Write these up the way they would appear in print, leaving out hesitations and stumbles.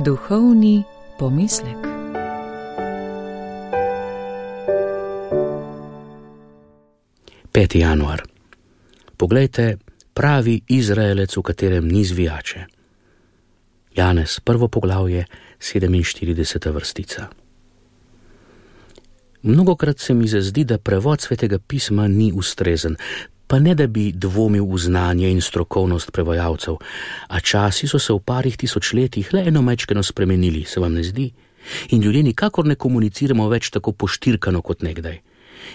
Duhovni pomislek. Peti januar. Poglejte, pravi Izraelec, v katerem ni zvijače. Janez, 1. poglavje, 47. vrstica. Mnogokrat se mi zazdi, da prevod Svetega pisma ni ustrezen, pa ne da bi dvomil v znanje in strokovnost prevajalcev, a časi so se v parih tisočletjih le eno majčkeno spremenili, se vam ne zdi? In ljudje nikakor ne komuniciramo več tako poštirkano kot nekdaj.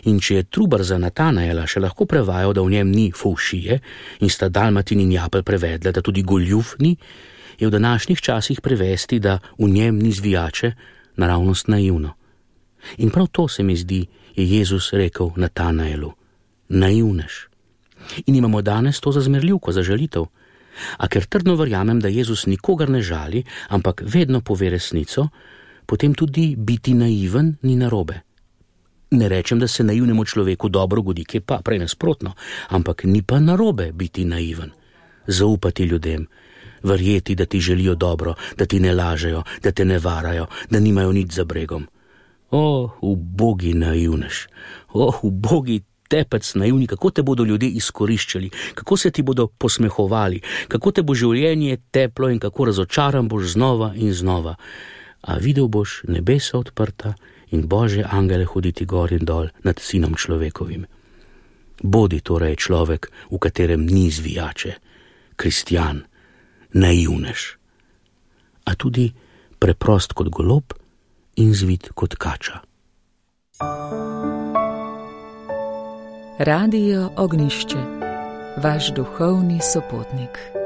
In če je Trubar za Natanaela še lahko prevajal, da v njem ni fovšije, in sta Dalmatin in Japelj prevedle, da tudi goljuf ni, je v današnjih časih prevesti, da v njem ni zvijače, naravnost naivno. In prav to se mi zdi, je Jezus rekel Natanaelu. Naivnež. In imamo danes to za zmerljivko, za žalitev. A ker trdno verjamem, da Jezus nikogar ne žali, ampak vedno pove resnico, potem tudi biti naiven ni narobe. Ne rečem, da se naivnemu človeku dobro godi, ki pa prej nasprotno, ampak ni pa narobe biti naiven. Zaupati ljudem, verjeti, da ti želijo dobro, da ti ne lažejo, da te ne varajo, da nimajo nič za bregom. O, ubogi naivnež, o, ubogi tepec naivni, kako te bodo ljudje izkoriščali, kako se ti bodo posmehovali, kako te bo življenje teplo in kako razočaran boš znova in znova. A videl boš nebesa odprta in Božje angele hoditi gor in dol nad sinom človekovim. Bodi torej človek, v katerem ni zvijače, kristjan, naivnež, a tudi preprost kot golob in zvit kot kača. Radio Ognjišče, vaš duhovni sopotnik.